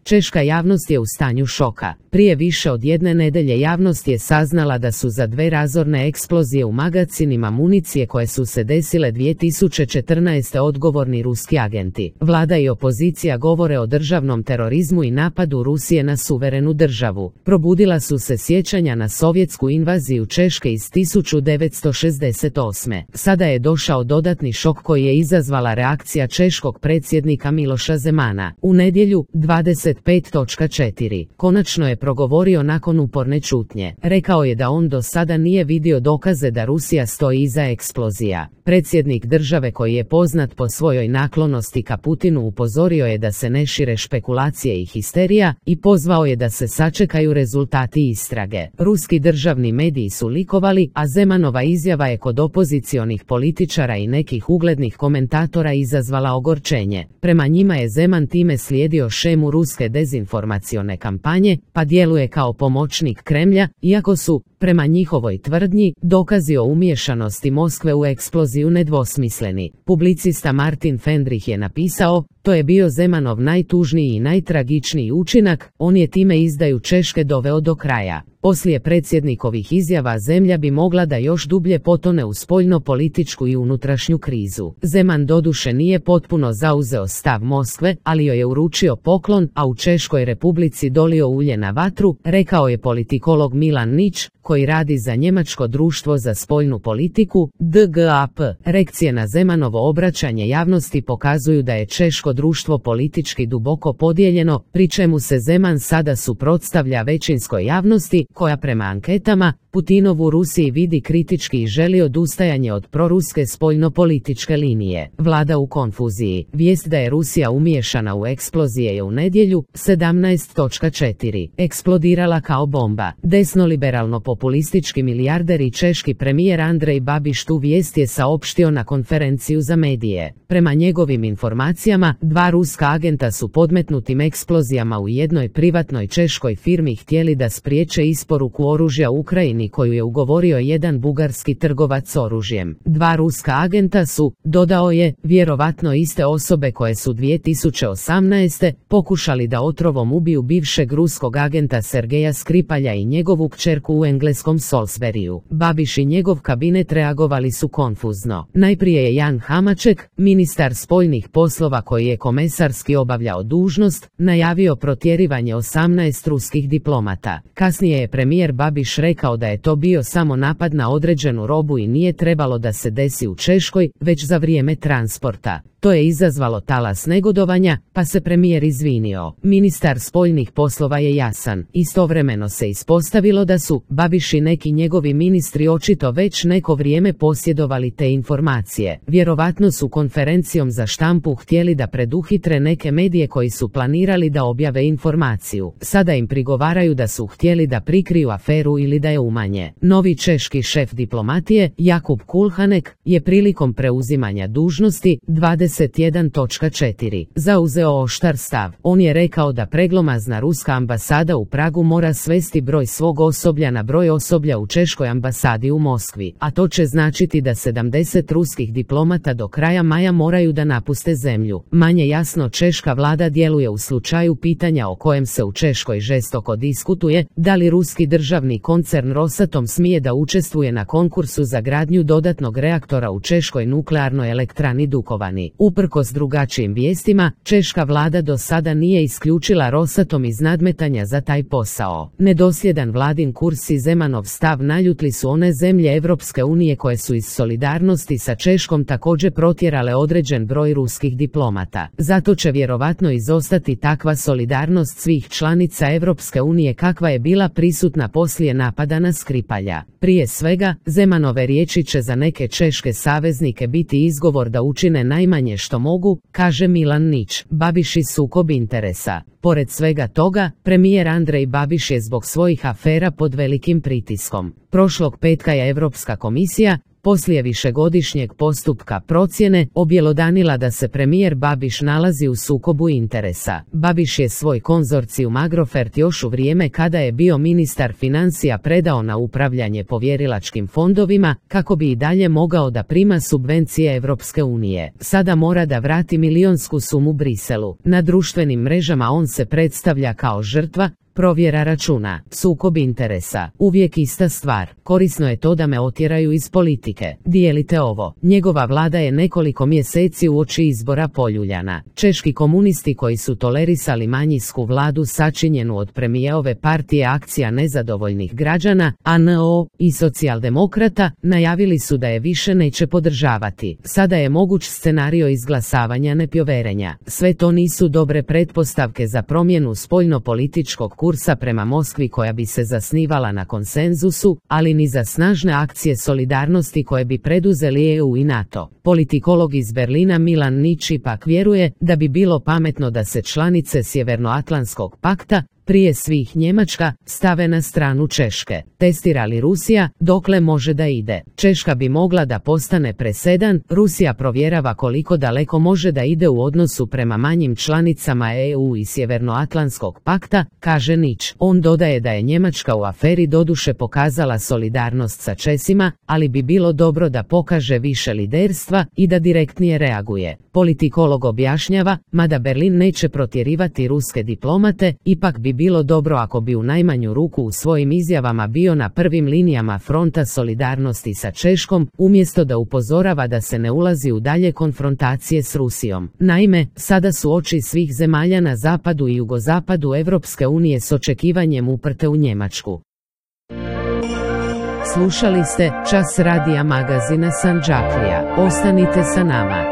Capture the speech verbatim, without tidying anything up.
Češka javnost je u stanju šoka. Prije više od jedne nedelje javnost je saznala da su za dve razorne eksplozije u magacinima municije koje su se desile dvije tisuće četrnaeste odgovorni ruski agenti. Vlada i opozicija govore o državnom terorizmu i napadu Rusije na suverenu državu. Probudila su se sjećanja na sovjetsku invaziju Češke iz tisuću devetsto šezdeset osme. Sada je došao dodatni šok koji je izazvala reakcija češkog predsjednika Miloša Zemana. U nedjelju, dvadeset pet četiri, konačno je progovorio nakon uporne ćutnje. Rekao je da on do sada nije vidio dokaze da Rusija stoji iza eksplozija. Predsjednik države koji je poznat po svojoj naklonosti ka Putinu upozorio je da se ne šire špekulacije i histerija i pozvao je da se sačekaju rezultati istrage. Ruski državni mediji su likovali, a Zemanova izjava je kod opozicionih političara i nekih uglednih komentatora izazvala ogorčenje. Prema njima je Zeman time slijedio šemu ruske dezinformacione kampanje, pa djeluje kao pomoćnik Kremlja, iako su, prema njihovoj tvrdnji, dokazi o umiješanosti Moskve u eksploziju nedvosmisleni. Publicista Martin Fendrich je napisao: to je bio Zemanov najtužniji i najtragičniji učinak, on je time izdaju Češke doveo do kraja. Poslije predsjednikovih izjava zemlja bi mogla da još dublje potone u spoljno-političku i unutrašnju krizu. Zeman doduše nije potpuno zauzeo stav Moskve, ali joj je uručio poklon, a u Češkoj Republici dolio ulje na vatru, rekao je politikolog Milan Nič, koji radi za Njemačko društvo za spoljnu politiku, D G A P. Reakcije na Zemanovo obraćanje javnosti pokazuju da je češko društvo politički duboko podijeljeno, pri čemu se Zeman sada suprotstavlja većinskoj javnosti, koja prema anketama Putinovu Rusiji vidi kritički i želi odustajanje od proruske spoljno-političke linije. Vlada u konfuziji. Vijest da je Rusija umiješana u eksplozije je u nedjelju, sedamnaest četiri, eksplodirala kao bomba. Desnoliberalno-populistički milijarder i češki premijer Andrej Babiš tu vijest je saopštio na konferenciju za medije. Prema njegovim informacijama, dva ruska agenta su podmetnutim eksplozijama u jednoj privatnoj češkoj firmi htjeli da spriječe isporuku oružja Ukrajini koju je ugovorio jedan bugarski trgovac oružjem. Dva ruska agenta su, dodao je, vjerovatno iste osobe koje su dvije tisuće osamnaeste pokušali da otrovom ubiju bivšeg ruskog agenta Sergeja Skripalja i njegovu kćerku u engleskom Salisburyu. Babiš i njegov kabinet reagovali su konfuzno. Najprije je Jan Hamaček, ministar spoljnih poslova koji je komesarski obavljao dužnost, najavio protjerivanje osamnaest ruskih diplomata. Kasnije je premijer Babiš rekao da je to bio samo napad na određenu robu i nije trebalo da se desi u Češkoj, već za vrijeme transporta. To je izazvalo talas negodovanja, pa se premijer izvinio. Ministar spoljnih poslova je jasan. Istovremeno se ispostavilo da su Babiš i neki njegovi ministri očito već neko vrijeme posjedovali te informacije. Vjerovatno su konferencijom za štampu htjeli da preduhitre neke medije koji su planirali da objave informaciju. Sada im prigovaraju da su htjeli da prikriju aferu ili da je umanje. Novi češki šef diplomatije, Jakub Kulhanek, je prilikom preuzimanja dužnosti dvadeset jedan četiri zauzeo oštar stav. On je rekao da preglomazna ruska ambasada u Pragu mora svesti broj svog osoblja na broj osoblja u češkoj ambasadi u Moskvi, a to će značiti da sedamdeset ruskih diplomata do kraja maja moraju da napuste zemlju. Manje jasno češka vlada djeluje u slučaju pitanja o kojem se u Češkoj žestoko diskutuje, da li ruski državni koncern Rosatom smije da učestvuje na konkursu za gradnju dodatnog reaktora u češkoj nuklearnoj elektrani Dukovani. Uprkos drugačijim vijestima, češka vlada do sada nije isključila Rosatom iz nadmetanja za taj posao. Nedosljedan vladin kurs i Zemanov stav naljutli su one zemlje Evropske unije koje su iz solidarnosti sa Češkom također protjerale određen broj ruskih diplomata. Zato će vjerovatno izostati takva solidarnost svih članica Evropske unije kakva je bila prisutna poslije napada na Skripalja. Prije svega, Zemanove riječi će za neke češke saveznike biti izgovor da učine najmanje što mogu, kaže Milan Nič. Babiš i sukob interesa. Pored svega toga, premijer Andrej Babiš je zbog svojih afera pod velikim pritiskom. Prošlog petka je Europska komisija, poslije višegodišnjeg postupka procjene, objelodanila da se premijer Babiš nalazi u sukobu interesa. Babiš je svoj konzorcijum Agrofert još u vrijeme kada je bio ministar financija predao na upravljanje povjerilačkim fondovima, kako bi i dalje mogao da prima subvencije Europske unije. Sada mora da vrati milionsku sumu Briselu. Na društvenim mrežama on se predstavlja kao žrtva, provjera računa, sukob interesa, uvijek ista stvar, korisno je to da me otjeraju iz politike, dijelite ovo. Njegova vlada je nekoliko mjeseci uoči izbora poljuljana. Češki komunisti koji su tolerisali manjinsku vladu sačinjenu od premijerove partije Akcija nezadovoljnih građana, A N O, i socijaldemokrata, najavili su da je više neće podržavati. Sada je moguć scenario izglasavanja nepovjerenja. Sve to nisu dobre pretpostavke za promjenu spoljnopolitičkog kursa prema Moskvi koja bi se zasnivala na konsenzusu, ali ni za snažne akcije solidarnosti koje bi preduzeli E U i NATO. Politikolog iz Berlina Milan Nič ipak vjeruje da bi bilo pametno da se članice Sjevernoatlantskog pakta, prije svih Njemačka, stave na stranu Češke. Testira li Rusija, dokle može da ide? Češka bi mogla da postane presedan, Rusija provjerava koliko daleko može da ide u odnosu prema manjim članicama E U i Sjevernoatlantskog pakta, kaže Nič. On dodaje da je Njemačka u aferi doduše pokazala solidarnost sa Česima, ali bi bilo dobro da pokaže više liderstva i da direktnije reaguje. Politikolog objašnjava, mada Berlin neće protjerivati ruske diplomate, ipak bi bilo dobro ako bi u najmanju ruku u svojim izjavama bio na prvim linijama fronta solidarnosti sa Češkom, umjesto da upozorava da se ne ulazi u dalje konfrontacije s Rusijom. Naime, sada su oči svih zemalja na zapadu i jugozapadu Europske unije s očekivanjem uprte u Njemačku. Slušali ste Čas radija magazina Sandžaklija. Ostanite sa nama.